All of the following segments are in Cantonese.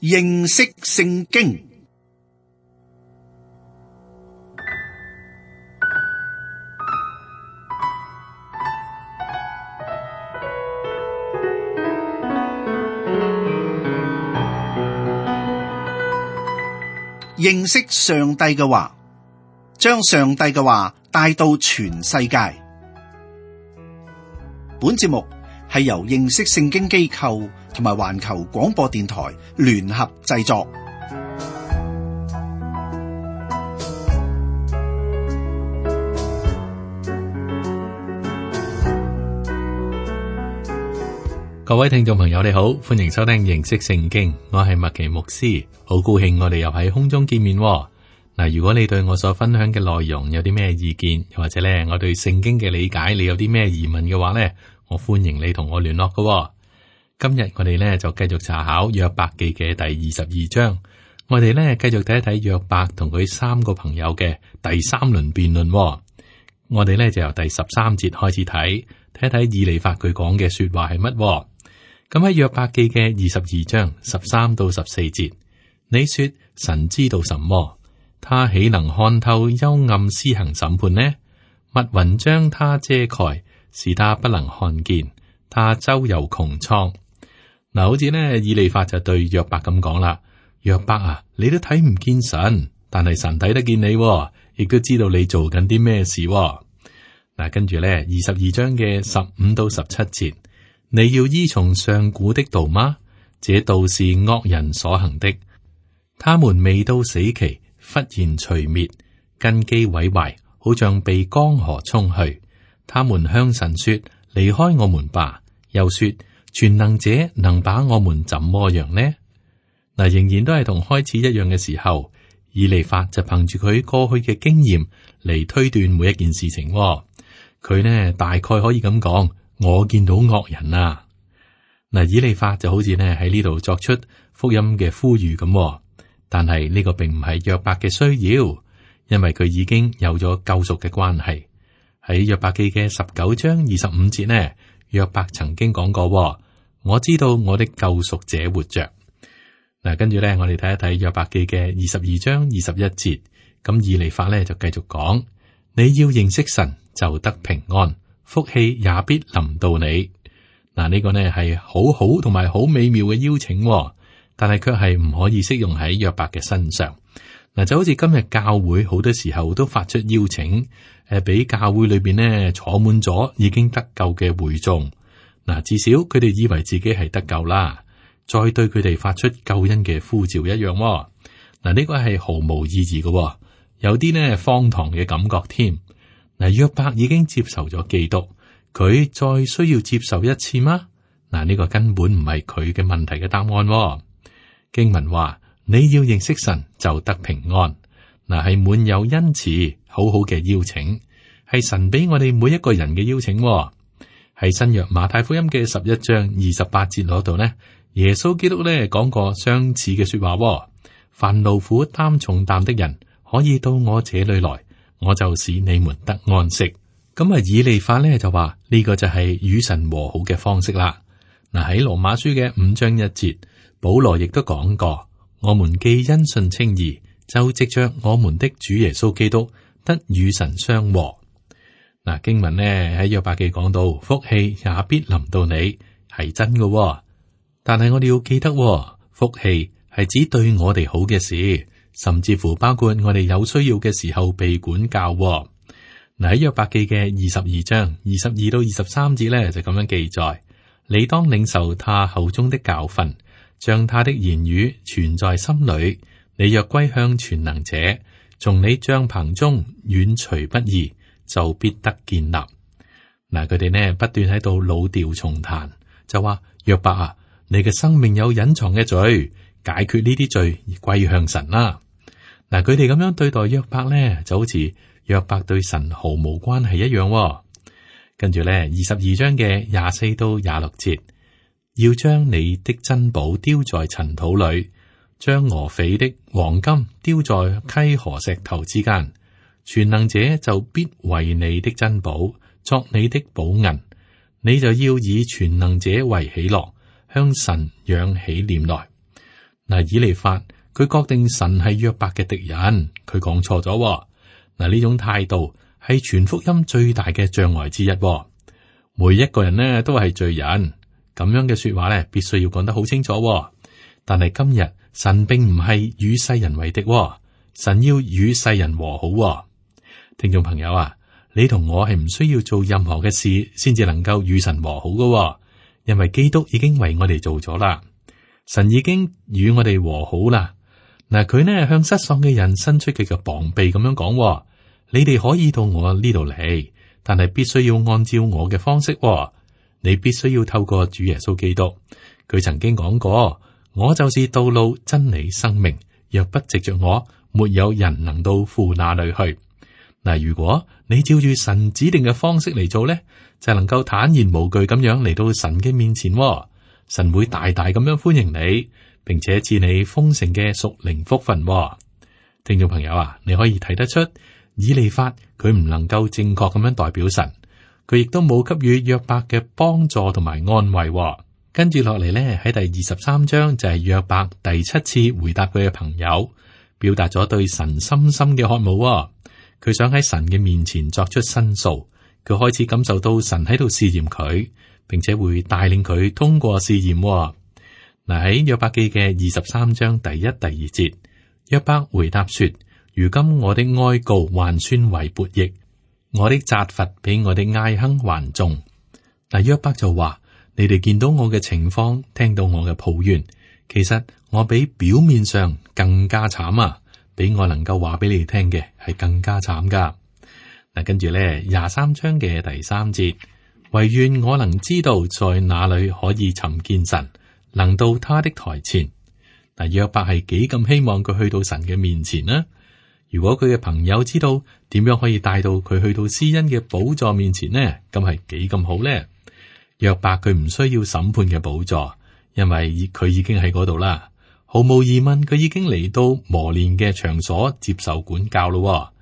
認識聖經。認識上帝嘅話，將上帝嘅話帶到全世界。本節目係由認識聖經機構同埋環球廣播電台聯合製作。各位聽眾朋友，你好，歡迎收聽認識聖經，我係麥奇牧師，好高興我哋又喺空中見面。嗱，如果你對我所分享嘅內容有啲咩意見，又或者咧我對聖經嘅理解，你有啲咩疑問嘅話咧，我歡迎你同我聯絡㗎。今日我哋咧就繼續查考約伯記嘅第22章，我哋咧繼續睇一睇約伯同佢三個朋友嘅第三輪辯論。我哋咧就由第13節開始睇一睇以利法佢講嘅說話係乜。咁喺約伯記嘅22章13到14節，你說神知道什麼？他豈能看透幽暗施行審判呢？密雲將他遮蓋，使他不能看見。他周遊穹蒼。嗱，好似呢以利法就對約伯咁講啦：約伯啊，你都睇唔見神，但係神睇得見你，亦都知道你做緊啲咩事。嗱，跟住呢22章嘅15到17節。你要依從上古的道嗎？這道是惡人所行的，他們未到死期，忽然除滅，根基毀壞，好像被江河沖去。他們向神說：離開我們吧。又說：全能者能把我們怎麼樣呢？嗱，仍然都係同開始一樣嘅時候，以利法就憑住佢過去嘅經驗嚟推斷每一件事情。佢呢大概可以咁講。我見到惡人啊！嗱，以利法就好似呢喺呢度作出福音嘅呼籲咁，但係呢個並唔係約伯嘅需要，因為佢已經有咗救贖嘅關係。喺約伯記嘅19章25節呢，約伯曾經講過：我知道我的救贖者活着。嗱，跟住呢，我哋睇一睇約伯記嘅22章21節，咁以利法呢就繼續講：你要認識神，就得平安。福氣也必臨到你。嗱，呢個呢係好好同埋好美妙嘅邀請，但係卻係唔可以適用喺約伯嘅身上。嗱，就好似今日教會好多時候都發出邀請，俾教會裏邊呢坐滿咗已經得救嘅會眾。嗱，至少佢哋以為自己係得救啦，再對佢哋發出救恩嘅呼召一樣。嗱，呢個係毫無意義嘅，有啲呢荒唐嘅感覺添。嗱，約伯已經接受咗基督，佢再需要接受一次嗎？嗱，呢個根本唔係佢嘅問題嘅答案。經文話：你要認識神，就得平安。嗱，係滿有恩慈，好好嘅邀請，係神俾我哋每一個人嘅邀請。喺新約馬太福音嘅11章28節嗰度呢，耶穌基督呢講過相似嘅說話：凡勞苦擔重擔的人，可以到我這裏來。我就使你們得安息。咁啊，以利法呢就話呢個就係與神和好嘅方式啦。嗱，喺羅馬書嘅5章1節，保羅亦都講過：我們既因信稱義，就藉着我們的主耶穌基督得與神相和。嗱，經文呢喺約伯記講到，福氣也必臨到你，係真嘅。但係我哋要記得，福氣係指對我哋好嘅事。甚至乎包括我哋有需要嘅時候被管教。嗱，喺約伯記嘅22章22到23節咧就咁樣記載：你當領受他口中的教訓，將他的言語存在心裏。你若歸向全能者，從你帳篷中遠除不義，就必得建立。嗱，佢哋呢不斷喺度老調重彈，就話：約伯啊，你嘅生命有隱藏嘅罪，解決呢啲罪而歸向神啦。嗱，佢哋咁樣對待約伯呢，就好似約伯對神毫無關係一樣。跟住呢，22章嘅24到26節，要將你的珍寶丟在塵土裏，將俄斐的黃金丟在溪河石頭之間。全能者就必為你的珍寶作你的寶銀，你就要以全能者為喜樂，向神仰起臉來。以利法佢確定神係約伯嘅敵人，佢講錯咗。呢種態度係傳福音最大嘅障礙之一。每一個人呢都係罪人，咁樣嘅說話呢必須要講得好清楚。但係今日神並唔係與世人為敵，神要與世人和好。聽眾朋友啊，你同我係唔需要做任何嘅事先至能夠與神和好嘅，因為基督已經為我哋做咗啦，神已經與我哋和好啦。佢呢向失喪嘅人伸出佢嘅膀臂咁樣講，你哋可以到我呢度嚟，但係必須要按照我嘅方式。你必須要透過主耶穌基督，佢曾經講過，我就是道路、真理、生命，若不藉着我，沒有人能到父那裏去。如果你照住神指定嘅方式嚟做呢，就能夠坦然無懼咁樣嚟到神嘅面前。神會大大咁樣歡迎你，並且賜你豐盛嘅屬靈福分。聽眾朋友啊，你可以睇得出以利法佢唔能夠正確咁樣代表神，佢亦都冇給予約伯嘅幫助同埋安慰。跟住落嚟呢，喺第23章就係約伯第7次回答佢嘅朋友，表達咗對神深深嘅渴慕。佢想喺神嘅面前作出申訴，佢開始感受到神喺度試驗佢，並且會帶領佢通過試驗。喺約伯記嘅23章第1、第2節，約伯回答說：如今我的哀告還算為悖逆，我的責罰比我的哀哼還重。約伯就話：你哋見到我嘅情況，聽到我嘅抱怨，其實我比表面上更加慘啊！比我能夠話俾你聽嘅係更加慘噶。跟住咧23章嘅第3節，唯願我能知道在哪裏可以尋見神，能到他的台前。約伯係幾咁希望佢去到神嘅面前呢？如果佢嘅朋友知道點樣可以帶到佢去到施恩嘅寶座面前呢？咁係幾咁好呢？約伯佢唔需要審判嘅寶座，因為佢已經喺嗰度啦。毫無疑問，佢已經嚟到磨練嘅場所接受管教咯。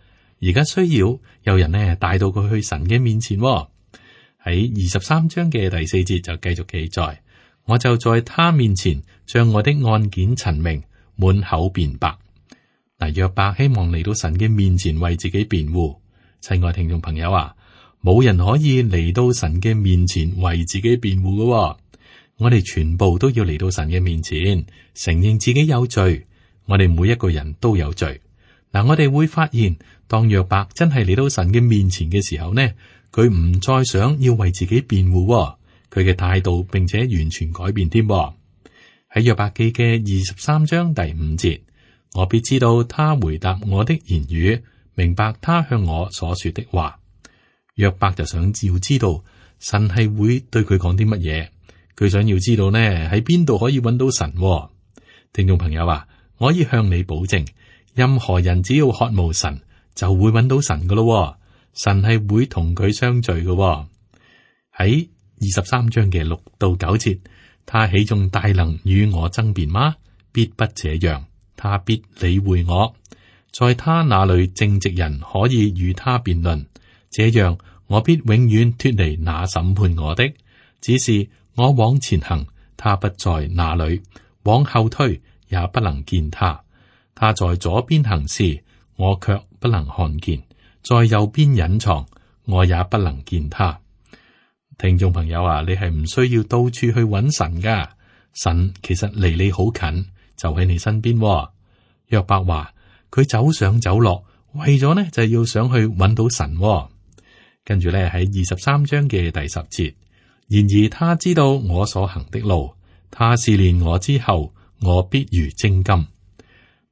而家需要有人呢帶到佢去神嘅面前。喺23章嘅第4節就繼續記載：我就在他面前將我的案件陳明，滿口辯白。約伯希望嚟到神嘅面前為自己辯護。親愛聽眾朋友啊，冇人可以嚟到神嘅面前為自己辯護嘅。我哋全部都要嚟到神嘅面前，承認自己有罪。我哋每一個人都有罪。我哋會發現，當約伯真係嚟到神嘅面前嘅時候呢，佢唔再想要為自己辯護，佢嘅態度並且完全改變添。喺約伯記嘅23章第5節，我必知道他回答我的言語，明白他向我所說的話。約伯就想要知道神係會對佢講啲乜嘢。佢想要知道呢，喺邊度可以揾到神。聽眾朋友啊，我可以向你保證，任何人只要渴慕神，就會揾到神噶咯。神係會同佢相聚嘅。喺23章嘅6到9節，他豈仲大能與我爭辯嗎？必不這樣，他必理會我。在他那裏正直人可以與他辯論，這樣我必永遠脫離那審判我的。只是我往前行，他不在那裏；往後退，也不能見他。他在左邊行事，我卻不能看見；在右邊隱藏，我也不能見他。聽眾朋友啊，你係唔需要到處去揾神噶，神其實離你好近，就喺你身邊。約伯話佢走上走落，為咗呢就係要想去揾到神。跟住咧喺23章嘅第10節。然而他知道我所行的路，他試煉我之後，我必如精金。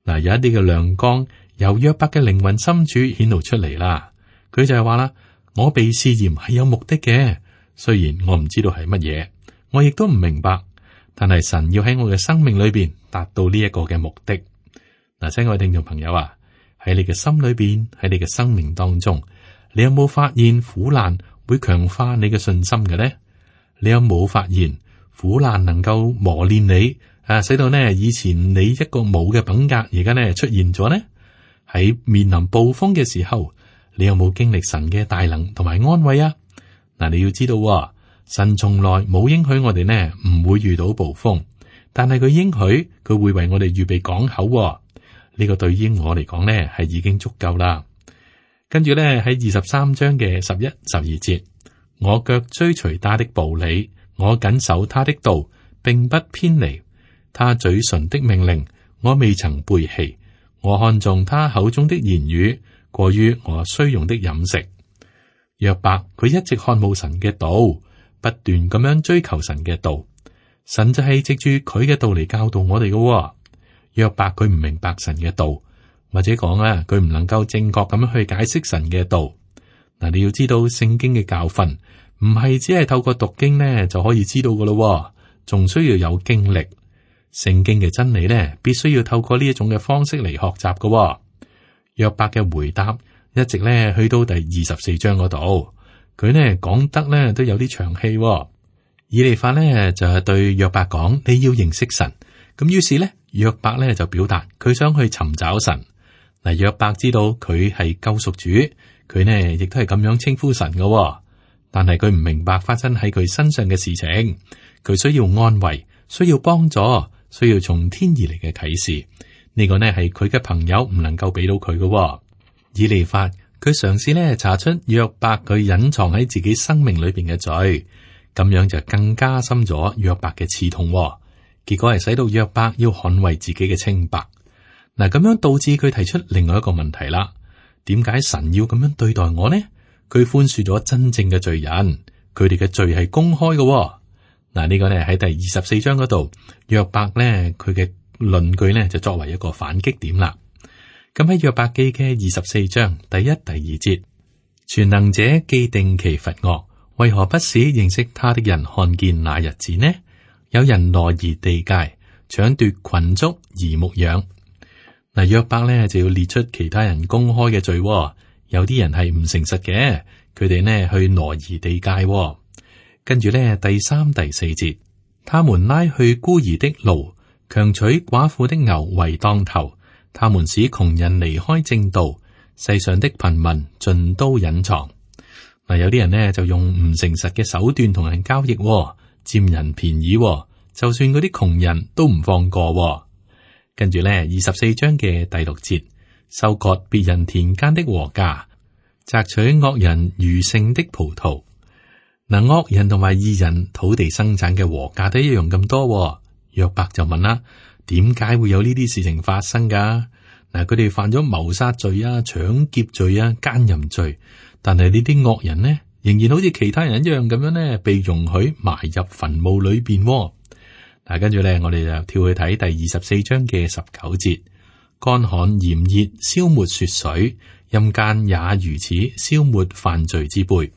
有一啲嘅亮光由約伯嘅靈魂深處顯露出嚟啦。佢就係話啦，我被試驗係有目的嘅，雖然我唔知道係乜嘢，我亦都唔明白，但係神要喺我嘅生命裏邊達到呢一個嘅目的。親愛聽眾朋友啊，喺你嘅心裏邊，喺你嘅生命當中，你有冇發現苦難會強化你嘅信心嘅呢？你有冇發現苦難能夠磨練你使到呢以前你一個冇嘅品格，而家呢出現咗呢？喺面臨暴風嘅時候，你有冇經歷神嘅大能同埋安慰啊？你要知道，神從來冇應許我哋呢唔會遇到暴風，但係佢應許佢會為我哋預備港口喎。呢個對於我嚟講呢係已經足夠啦。跟住呢，喺23章嘅11、12節，我腳追隨他的步履，我謹守他的道，並不偏離他嘴唇的命令，我未曾背棄。我看重他口中的言語，過於我需用的飲食。約伯佢一直渴慕神嘅道，不斷咁樣追求神嘅道。神就係藉住佢嘅道嚟教導我哋嘅喎。約伯佢唔明白神嘅道，或者講啊，佢唔能夠正確咁樣去解釋神嘅道。嗱，你要知道聖經嘅教訓唔係只係透過讀經呢就可以知道噶咯，仲需要有經歷。聖經嘅真理呢，必須要透過呢一種嘅方式嚟學習噶喎。約伯嘅回答一直呢去到第24章嗰度，佢呢講得呢都有啲長氣喎。以利法呢就係對約伯講：你要認識神。咁於是呢，約伯呢就表達佢想去尋找神。嗱，約伯知道佢係救贖主，佢呢亦都係咁樣稱呼神噶喎。但係佢唔明白發生喺佢身上嘅事情，佢需要安慰，需要幫助，需要從天而嚟嘅啟示。呢個呢係佢嘅朋友唔能夠俾到佢嘅喎。以利法佢嘗試呢查出約伯佢隱藏喺自己生命裏邊嘅罪，咁樣就更加深咗約伯嘅刺痛喎。結果係使到約伯要捍衛自己嘅清白。嗱，咁樣導致佢提出另外一個問題啦。點解神要咁樣對待我呢？佢寬恕咗真正嘅罪人，佢哋嘅罪係公開嘅喎。嗱，呢個呢喺第24章嗰度，約伯呢佢嘅論據呢就作為一個反擊點啦。咁喺約伯記嘅24章第1、第2節，全能者既定其罰惡，為何不使認識他的人看見那日子呢？有人挪移地界，搶奪群畜而牧養。嗱，約伯呢就要列出其他人公開嘅罪喎。有啲人係唔誠實嘅，佢哋呢去挪移地界喎。跟住呢第3、第4節，他們拉去孤兒的驢，強取寡婦的牛為當頭。他們使窮人離開正道，世上的貧民盡都隱藏。嗱，有啲人呢就用唔誠實嘅手段同人交易喎，佔人便宜喎，就算嗰啲窮人都唔放過喎。跟住呢24章嘅第6節，收割別人田間的禾稼，摘取惡人餘剩的葡萄。嗱，惡人同埋義人土地生產嘅禾稼都一樣咁多喎。約伯就問啦：點解會有呢啲事情發生噶？嗱，佢哋犯咗謀殺罪啊、搶劫罪啊、奸淫罪，但係呢啲惡人呢，仍然好似其他人一樣咁樣呢，被容許埋入墳墓裏邊。嗱，跟住咧，我哋就跳去睇第24章嘅19節，乾旱炎熱，消沒雪水，陰間也如此，消沒犯罪之輩。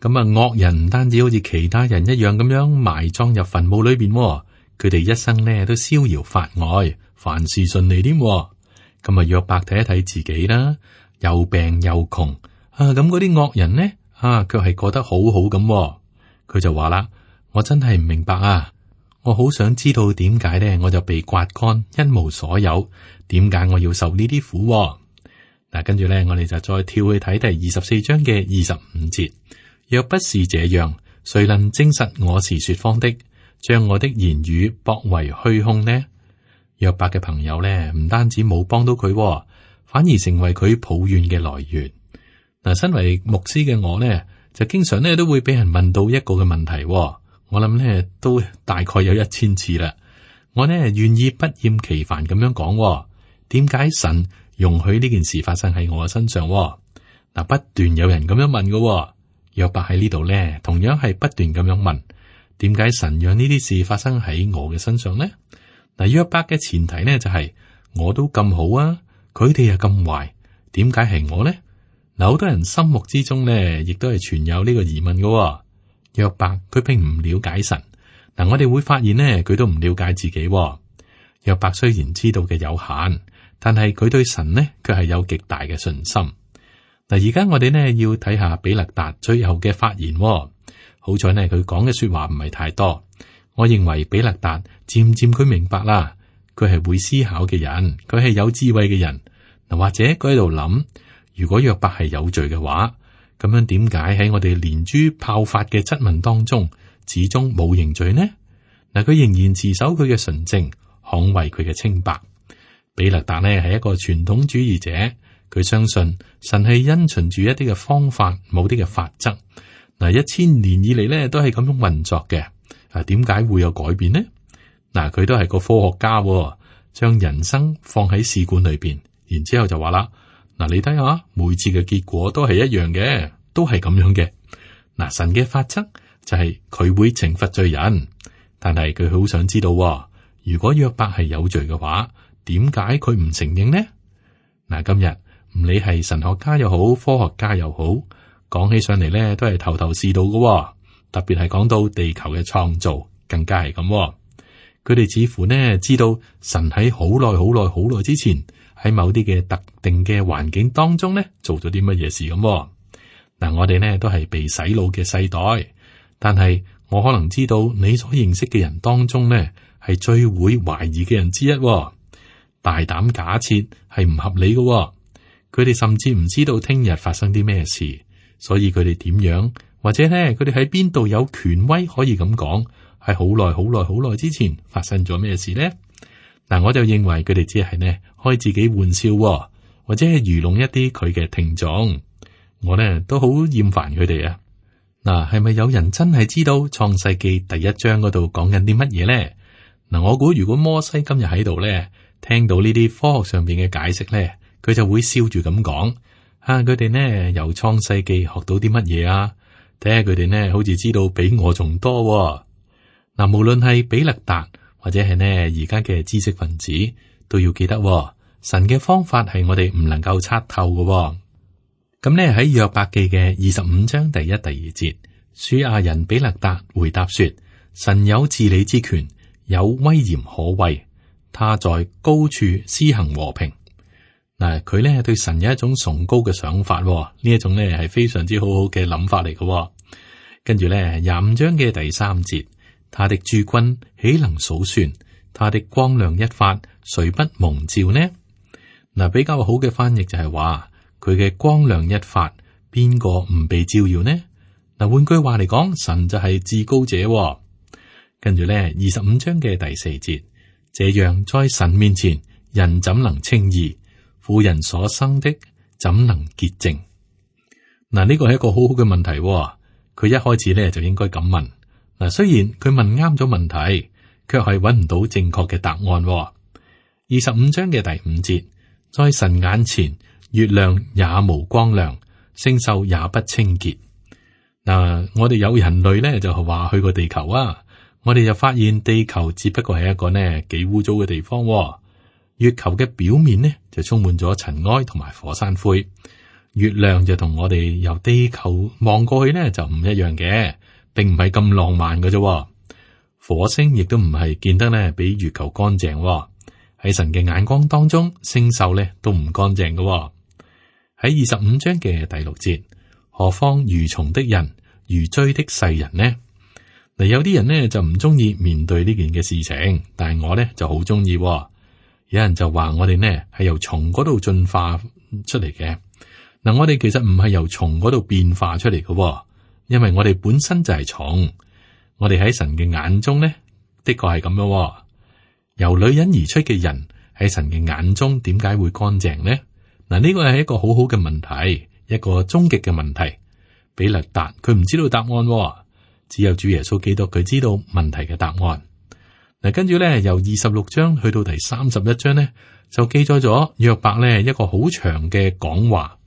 咁啊，惡人唔單止好似其他人一樣咁樣埋葬入墳墓裏邊，佢哋一生呢都逍遙法外，凡事順利添。咁啊，約伯睇一睇自己啦，又病又窮啊，咁嗰啲惡人呢卻係過得好好咁。佢就話啦：我真係唔明白啊！我好想知道點解呢，我就被刮乾，一無所有。點解我要受呢啲苦？嗱，跟住呢，我哋就再跳去睇第24章嘅25節。若不是這樣，誰能證實我是說謊的，將我的言語駁為虛空呢？約伯嘅朋友呢，唔單止冇幫到佢，反而成為佢抱怨嘅來源。嗱，身為牧師嘅我呢，就經常呢都會俾人問到一個嘅問題。我諗呢都大概有1000次啦。我呢願意不厭其煩咁樣講，點解神容許呢件事發生喺我嘅身上？嗱，不斷有人咁樣問嘅。約伯喺呢度呢，同樣係不斷咁樣問，點解神讓呢啲事發生喺我嘅身上呢？嗱，約伯嘅前提呢就係我都咁好啊，佢哋又咁壞，點解係我呢？嗱，好多人心目之中呢，亦都係存有呢個疑問嘅。約伯佢並唔了解神，嗱，我哋會發現呢，佢都唔了解自己。約伯雖然知道嘅有限，但係佢對神呢，卻係有極大嘅信心。嗱，而家我哋呢要睇下比勒達最後嘅發言。好彩呢，佢講嘅說話唔係太多。我認為比勒達漸漸佢明白啦，佢係會思考嘅人，佢係有智慧嘅人。嗱，或者佢喺度諗，如果約伯係有罪嘅話，咁樣點解喺我哋連珠炮發嘅質問當中，始終冇認罪呢？嗱，佢仍然持守佢嘅純正，捍衛佢嘅清白。比勒達呢係一個傳統主義者，佢相信神係因循住一啲嘅方法，冇啲嘅法則。嗱，1000年以嚟呢都係咁樣運作嘅。點解會有改變呢？嗱，佢都係個科學家，將人生放喺試管裏邊，然之後就話啦，嗱，你睇下每次嘅結果都係一樣嘅，都係咁樣嘅。嗱，神嘅法則就係佢會懲罰罪人，但係佢好想知道，如果約伯係有罪嘅話，點解佢唔承認呢？嗱，今日唔理係神學家又好，科學家又好，講起上嚟咧都係頭頭是道嘅，特別係講到地球嘅創造，更加係咁。佢哋似乎呢知道神喺好耐好耐好耐之前喺某啲嘅特定嘅環境當中呢做咗啲乜嘢事咁。嗱，我哋呢都係被洗腦嘅世代，但係我可能知道你所認識嘅人當中呢係最會懷疑嘅人之一。大膽假設係唔合理嘅，佢哋甚至唔知道聽日發生啲咩事，所以佢哋點樣，或者呢佢哋喺邊度有權威可以咁講，係好耐好耐好耐之前發生咗咩事呢？嗱，我就認為佢哋只係呢開自己玩笑，或者係愚弄一啲佢嘅聽眾。我呢都好厭煩佢哋啊！嗱，係咪有人真係知道創世記第1章嗰度講緊啲乜嘢呢？嗱，我估如果摩西今日喺度呢，聽到呢啲科學上邊嘅解釋呢，佢就會笑住咁講：佢哋呢由創世記學到啲乜嘢啊？睇下佢哋呢好似知道比我仲多。嗱，無論係比勒達或者係呢而家嘅知識分子，都要記得，神嘅方法係我哋唔能夠測透嘅。咁呢喺約伯記嘅25章第1、第2節，書亞人比勒達回答說：神有治理之權，有威嚴可畏，他在高處施行和平。嗱，佢呢對神有一種崇高嘅想法，呢一種呢係非常之好好嘅諗法嚟嘅。跟住呢25章嘅第3節，他的諸軍豈能數算？他的光亮一發，誰不蒙照呢？嗱，比較好嘅翻譯就係話，佢嘅光亮一發，邊個唔被照耀呢？嗱，換句話嚟講，神就係至高者。跟住呢25章嘅第4節，這樣在神面前，人怎能稱義？婦人所生的怎能潔淨？嗱，呢個係一個好好嘅問題。佢一開始呢就應該咁問。嗱，雖然佢問啱咗問題，卻係揾唔到正確嘅答案。25章嘅第5節，在神眼前，月亮也無光亮，星宿也不清潔。嗱，我哋有人類呢就係話去過地球啊，我哋就發現地球只不過係一個呢幾污糟嘅地方。月球嘅表面呢就充滿咗塵埃同埋火山灰，月亮就同我哋由地球望過去呢就唔一樣嘅，並唔係咁浪漫嘅啫。火星亦都唔係見得呢比月球乾淨。喺神嘅眼光當中，星宿呢都唔乾淨嘅。喺25章嘅第6節，何況愚蟲的人，愚追的世人呢？嗱，有啲人呢就唔中意面對呢件嘅事情，但係我呢就好中意。有人就話我哋呢係由蟲嗰度進化出嚟嘅。嗱，我哋其實唔係由蟲嗰度變化出嚟嘅，因為我哋本身就係蟲。我哋喺神嘅眼中呢，的確係咁樣。由女人而出嘅人喺神嘅眼中，點解會乾淨呢？嗱，呢個係一個好好嘅問題，一個終極嘅問題。比勒達佢唔知道答案，只有主耶穌基督佢知道問題嘅答案。嗱，跟住咧，由26章去到第31章呢，就記載咗約伯呢一個好長嘅講話，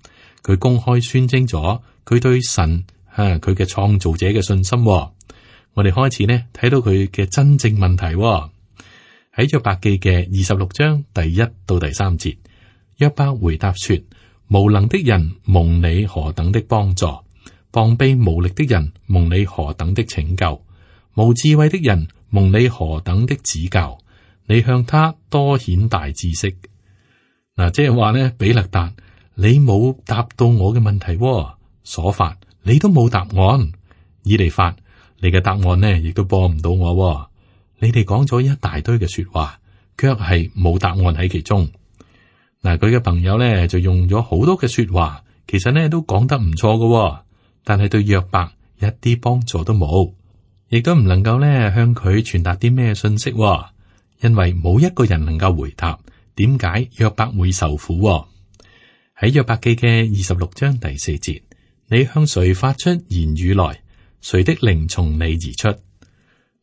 佢公開宣稱咗佢對神佢嘅創造者嘅信心。我哋開始呢睇到佢嘅真正問題喺約伯記嘅26章第1到第3節，約伯回答說：無能的人蒙你何等的幫助，膀臂無力的人蒙你何等的拯救，無智慧的人蒙你何等的指教，你向他多顯大知識。嗱，即係話呢，比勒達，你冇答到我嘅問題，所法你都冇答案，以利法，你嘅答案呢亦都幫唔到我。你哋講咗一大堆嘅說話，卻係冇答案喺其中。嗱，佢嘅朋友呢就用咗好多嘅說話，其實呢都講得唔錯嘅，但係對約伯一啲幫助都冇。亦都唔能夠咧向佢傳達啲咩信息，因為冇一個人能夠回答點解約伯會受苦。喺約伯記嘅26章第4節，你向誰發出言語來？誰的靈從你而出？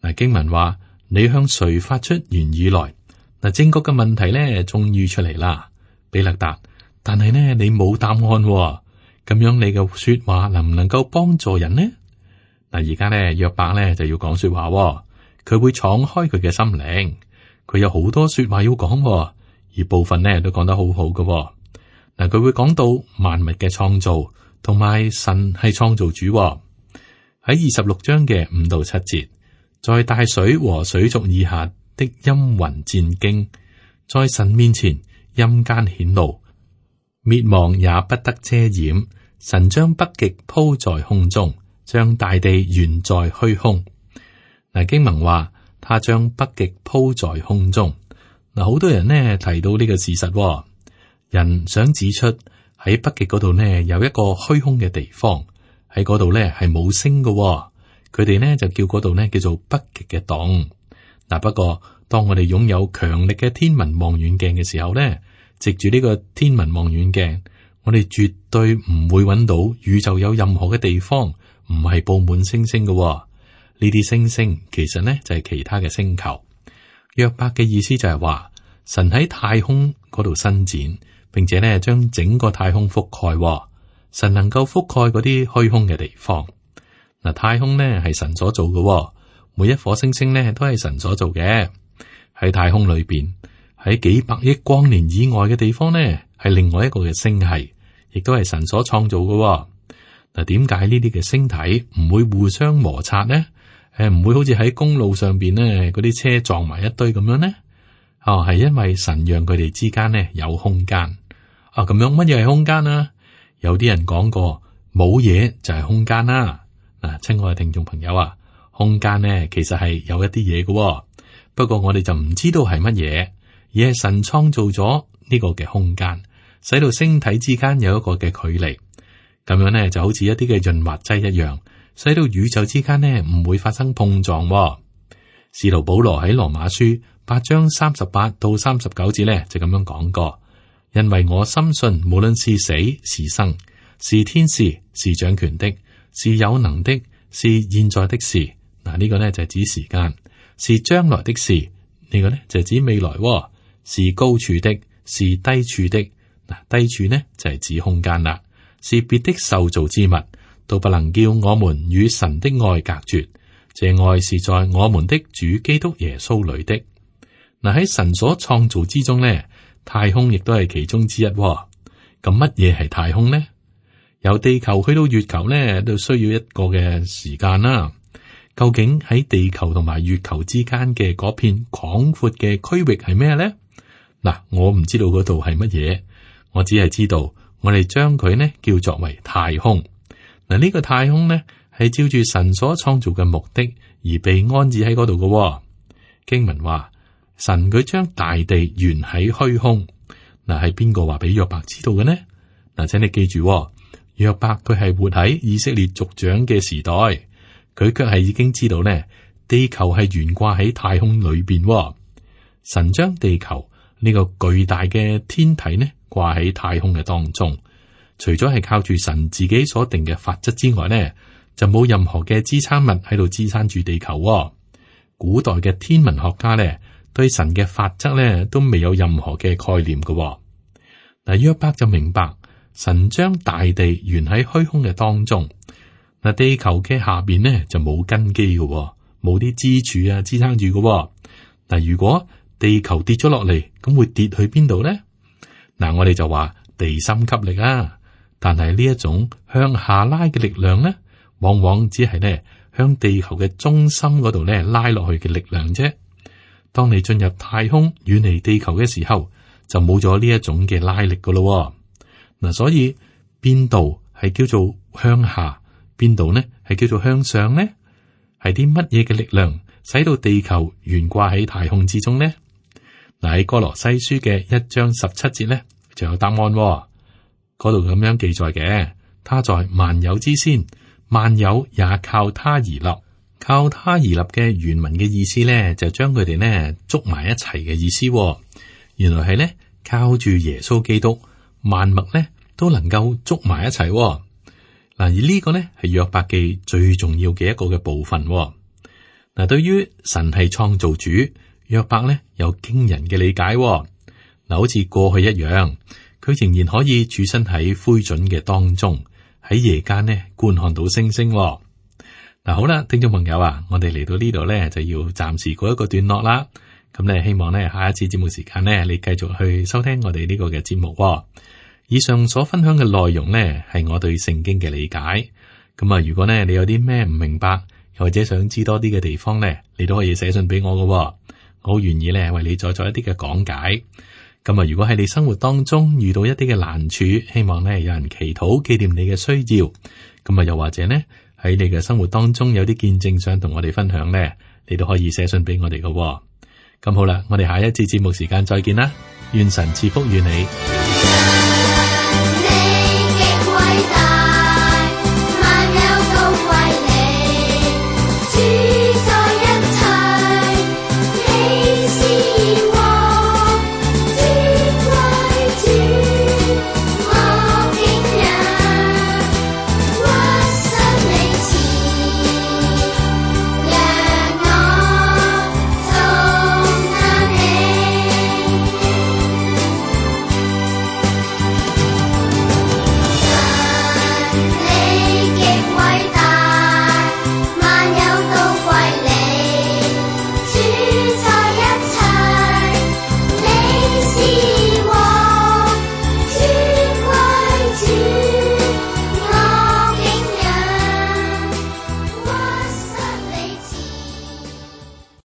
嗱，經文話你向誰發出言語來？嗱，正確嘅問題咧終於出嚟啦，比勒達。但係呢，你冇答案，咁樣你嘅說話能唔能夠幫助人呢？嗱，而家咧約伯咧就要講說話，佢會敞開佢嘅心靈，佢有好多說話要講，而部分呢都講得好好嘅。嗱，佢會講到萬物嘅創造，同埋神係創造主。喺26章嘅5到7節，在大水和水族以下的陰雲戰驚，在神面前陰間顯露，滅亡也不得遮掩。神將北極鋪在空中，將大地懸在虛空。嗱，經文話他將北極鋪在空中。嗱，好多人呢提到呢個事實，人想指出喺北極嗰度呢有一個虛空嘅地方。喺嗰度咧係冇星嘅，佢哋呢就叫嗰度呢叫做北極嘅洞。嗱，不過當我哋擁有強力嘅天文望遠鏡嘅時候呢，藉住呢個天文望遠鏡，我哋絕對唔會揾到宇宙有任何嘅地方唔係布滿星星嘅。呢啲星星其實呢就係其他嘅星球。約伯嘅意思就係話，神喺太空嗰度伸展，並且呢將整個太空覆蓋。神能夠覆蓋嗰啲虛空嘅地方。嗱，太空呢係神所做嘅，每一顆星星呢都係神所做嘅。喺太空裏邊，喺幾百億光年以外嘅地方呢，係另外一個嘅星系，亦都係神所創造嘅。嗱，點解呢啲嘅星體唔會互相摩擦呢？唔會好似喺公路上邊呢嗰啲車撞埋一堆咁樣呢？係因為神讓佢哋之間呢有空間。咁樣乜嘢係空間啊？有啲人講過冇嘢就係空間啦。嗱，親愛嘅聽眾朋友啊，空間呢其實係有一啲嘢嘅，不過我哋就唔知道係乜嘢，而係神創造咗呢個嘅空間，使到星體之間有一個嘅距離。咁樣呢就好似一啲嘅潤滑劑一樣，使到宇宙之間呢唔會發生碰撞。使徒保羅喺羅馬書8章38到39節呢就咁樣講過。因為我深信，無論是死是生，是天使，是掌權的，是有能的，是現在的事。嗱，呢個呢就係指時間，是將來的事。呢個呢就係指未來，是高處的，是低處的。嗱，低處呢就係指空間啦，是別的受造之物，都不能叫我們與神的愛隔絕。這愛是在我們的主基督耶穌裏的。嗱，喺神所創造之中呢，太空亦都係其中之一。咁乜嘢係太空呢？由地球去到月球呢，都需要一個嘅時間啦。究竟喺地球同埋月球之間嘅嗰片廣闊嘅區域係咩呢？嗱，我唔知道嗰度係乜嘢，我只係知道我哋將佢呢叫作為太空。嗱，呢個太空呢係照住神所創造嘅目的而被安置喺嗰度嘅。經文話，神佢將大地懸喺虛空。嗱，係邊個話俾約伯知道嘅呢？嗱，請你記住，約伯佢係活喺以色列族長嘅時代，佢卻係已經知道呢，地球係懸掛喺太空裏邊。神將地球呢個巨大嘅天體呢掛喺太空嘅當中，除咗係靠住神自己所定嘅法則之外呢，就冇任何嘅支撐物喺度支撐住地球。古代嘅天文學家呢，對神嘅法則呢都未有任何嘅概念嘅。嗱，約伯就明白神將大地懸喺虛空嘅當中。嗱，地球嘅下邊呢就冇根基嘅，冇啲支柱啊支撐住嘅。嗱，如果地球跌咗落嚟，咁會跌去邊度呢？嗱，我哋就話地心吸力啊，但係呢一種向下拉嘅力量呢，往往只係呢向地球嘅中心嗰度呢拉落去嘅力量啫。當你進入太空遠離地球嘅時候，就冇咗呢一種嘅拉力噶咯。嗱，所以邊度係叫做向下，邊度呢係叫做向上呢？係啲乜嘢嘅力量使到地球懸掛喺太空之中呢？嗱，喺哥羅西書嘅1章17節呢，就有答案。嗰度咁樣記載嘅，他在萬有之先，萬有也靠他而立，靠他而立嘅原文嘅意思咧，就將佢哋呢捉埋一齊嘅意思。原來係咧靠住耶穌基督，萬物咧都能夠捉埋一齊。嗱，而呢個咧係約伯記最重要嘅一個嘅部分。嗱，對於神係創造主，約伯咧有驚人嘅理解。嗱，好似過去一樣，佢仍然可以處身喺灰燼嘅當中，喺夜間呢觀看到星星。嗱，好啦，聽眾朋友啊，我哋嚟到呢度咧就要暫時告一個段落啦。咁咧，希望咧下一次節目時間咧，你繼續去收聽我哋呢個嘅節目。以上所分享嘅內容咧，係我對聖經嘅理解。咁啊，如果咧你有啲咩唔明白，又或者想知多啲嘅地方咧，你都可以寫信俾我㗎。我好願意咧為你再作一啲嘅講解。咁啊，如果喺你生活當中遇到一啲嘅難處，希望咧有人祈禱紀念你嘅需要。咁啊，又或者呢，喺你嘅生活當中有啲見證想同我哋分享咧，你都可以寫信俾我哋㗎。咁好啦，我哋下一次節目時間再見啦，願神賜福與你。